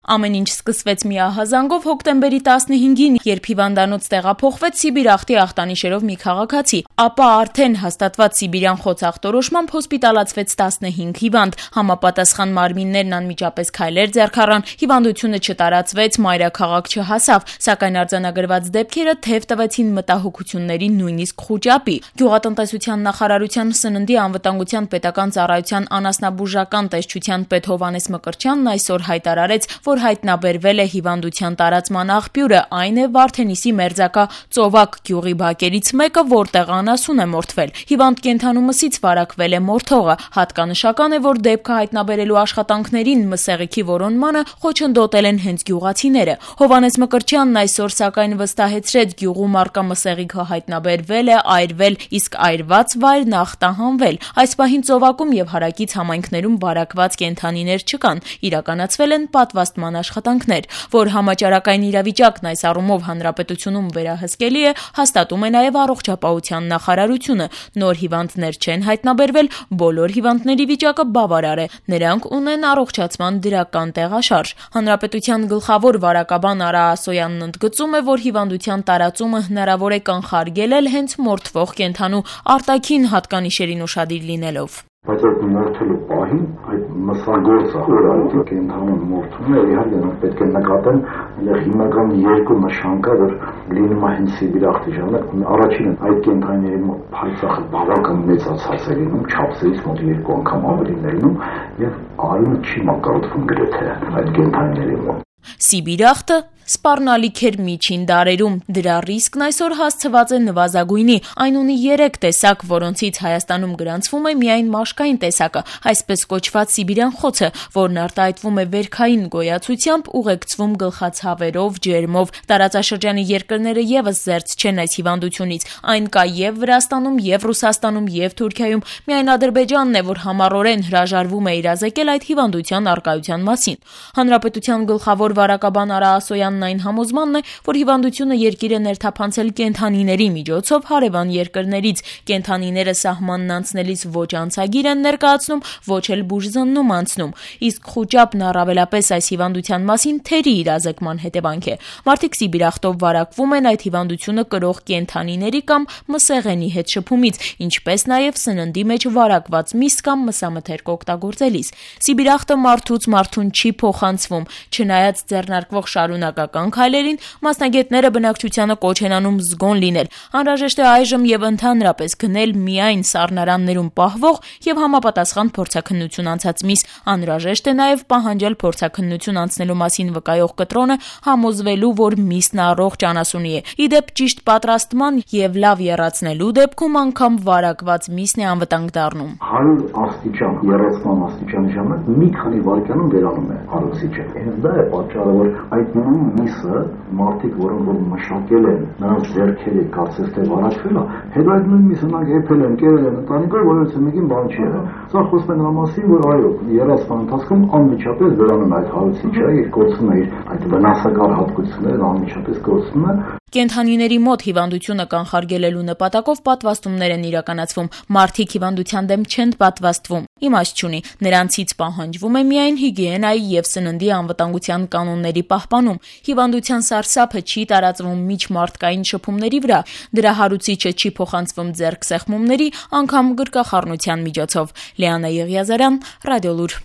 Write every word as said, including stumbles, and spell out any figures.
Ամեն ինչ սկսվեց միահազանգով հոկտեմբերի տասնհինգին, երբ հիվանդանոց տեղափոխվեց Սիբիր-ախտի ախտանիշերով մի քաղաքացի, ապա արդեն հաստատված սիբիրյան խոցախտորոշմամբ հոսպիտալացվեց տասնհինգ հիվանդ, համապատասխան մարմիններն անմիջապես քայլեր ձեռք առան, հիվանդությունը չտարածվեց, մայրաքաղաք չհասավ, սակայն արձանագրված դեպքերը թեև տվեցին մտահոգությունների նույնիսկ խուճապի։ Գյուղատնտեսության նախարարության սննդի անվտանգության պետական ծառայության անասնաբուժական տեսչության պետ Հովհաննես Մկրտչյանն այսօր հայտարարեց, որ հայտնաբերվել է հիվանդության տարածման աղբյուրը, այն է Վարդենիսի մերձակա Ծովակ գյուղի բակերից մեկը, որտեղ անասուն է մորթվել։ Հիվանդ կենդանու մսից վարակվել է մորթողը։ Հատկանշական է, որ դեպքը հայտնաբերելու աշխատանքներին մսեղիքի որոնմանը խոչընդոտել են հենց գյուղացիները։ Հովհաննես Մկրտչյանն այսօր սակայն վստահեցրեց, գյուղում առկա մսեղիքը հայտնաբերվել է, այրվել, իսկ այրված վայրն ախտահանվել։ Այս պահին Ծովակում եւ հարակից համայնքներում վարակված կենդանիներ չկան, իրականացվել են պատվաստման աշխատանքներ, որ համաճարակային իրավիճակն այս առումով հանրապետությունում վերահսկելի է, հաստատում է նաեւ առողջապահության նախարարությունը։ Նոր հիվանդներ չեն հայտնաբերվել, բոլոր հիվանդների վիճակը բավարար է, նրանք ունեն առողջացման դրական տեղաշարժ։ Հանրապետության գլխավոր վարակաբան Արա Ասոյանն ընդգծում է, որ հիվանդության տարածումը հնարավոր է կանխարգելել հենց մորթվող կենդանու արտաքին հատկանիշերին ուշադիր լինելով։ Բայց այդ մորթելու պահին այդ մսագործը, որ այդ կենդանուն մորթում է, իհարկե մենք պետք է նկատեն, այլ հիմնական երկու նշան կա, որ լինում է հենց Սիբիր-ախտի ժամանակ, առաջինը այդ կենդանիների մոտ փայծախը բավական մեծացած է լինում, չափսերից մոտ երկու անգամ ավելին է լինում, եւ արյունը չի մակարդվում գրեթե այդ կենդանիների մոտ։ Սիբիր-ախտը սպառնալիք էր միջին դարերում, դրա ռիսկն այսօր հասցված է նվազագույնի, այն ունի երեք տեսակ, որոնցից Հայաստանում գրանցվում է միայն մաշկային տեսակը, այսպես կոչված սիբիրյան խոցը, որն արտահայտվում է վերքային գոյացությամբ, ուղեկցվում գլխացավերով, ջերմով։ Տարածաշրջանի երկրները եւս զերծ չեն այս հիվանդությունից, այն կա եւ Վրաստանում, եւ Ռուսաստանում, եւ Թուրքիայում, միայն Ադրբեջանն է, որ համառորեն հրաժարվում է իրազեկել այդ հիվանդության առկայության մասին։ Հանրապետության գլխավոր վարակաբան Արա Ասոյանն այն համոզմանն է, որ հիվանդությունը երկիրը ներթափանցել կենդանիների միջոցով հարևան երկրներից։ Կենդանիները սահմանն անցնելիս ոչ անցագիր են ներկայացնում, ոչ էլ բուժզննում անցնում։ Իսկ խուճապն առավելապես այս հիվանդության մասին թերի իրազեկման հետևանք է։ Մարդիկ Սիբիր-ախտով վարակվում են այդ հիվանդությունը կրող կենդանիների կամ մսեղենի հետ շփումից, ինչպես նաև սննդի մեջ վարակված միս կամ մսամթերք օգտագործելիս։ Սիբիր-ախտը մարդուց մարդուն չի փոխանցվում, չնայած ձեռնարկվող շարունակական քայլերին, մասնագետները բնակչությանը կոչ են անում զգոն լինել։ Անհրաժեշտ է այժմ եւ ընդհանրապես գնել միայն սառնարաններում պահվող եւ համապատասխան փորձաքննություն անցած միս։ Անհրաժեշտ է նաեւ պահանջել փորձաքննություն անցնելու մասին վկայող կտրոնը, համոզվելու, որ միսն առողջ անասունի է։ Իդեպ ճիշտ պատրաստման եւ լավ եռացնելու դեպքում անգամ վարակված միսն է անվտանգ դառնում։ հարյուր աստիճան եռացման աստիճանի ժամանակ մի քանի վայրկյանում վերանում է հարուսիչը։ Հենց դա է պատճառը, որ այդ նույն միսը մարդիկ, որոնք որ մշակել են, նրանց ձեռքերի կարծես թե վարակվել է, հետո այդ նույն միսը նրանք եփել են, կերել են ընտանիքով, որովհետեւ մեկին բան չի եղել։ Սա խոսում է նրա մասին, որ այո, երասման ընթացքում անմիջապես վերանում է այդ հարուսիչը, իր կորցնում է իր այդ վնասակար հատկությունները, անմիջապես կորցնում է։ Կենդանիների մոտ հիվանդությունը կանխարգելելու նպատակով պատվաստումներ են իրականացվում։ Մարդիկ հիվանդության դեմ չեն պատվաստվում։ Իմաստ չունի, նրանցից պահանջվում է միայն հիգիենայի եւ սննդի անվտանգության կանոնների պահպանում։ Հիվանդության սարսափը չի տարածվում միջմարտկային շփումների վրա, դրա հարուցիչը չի փոխանցվում ձեռքսեղմումների, անգամ գրկախառնության միջոցով։ Լիանա Եղիազարյան, Ռադիոլուր։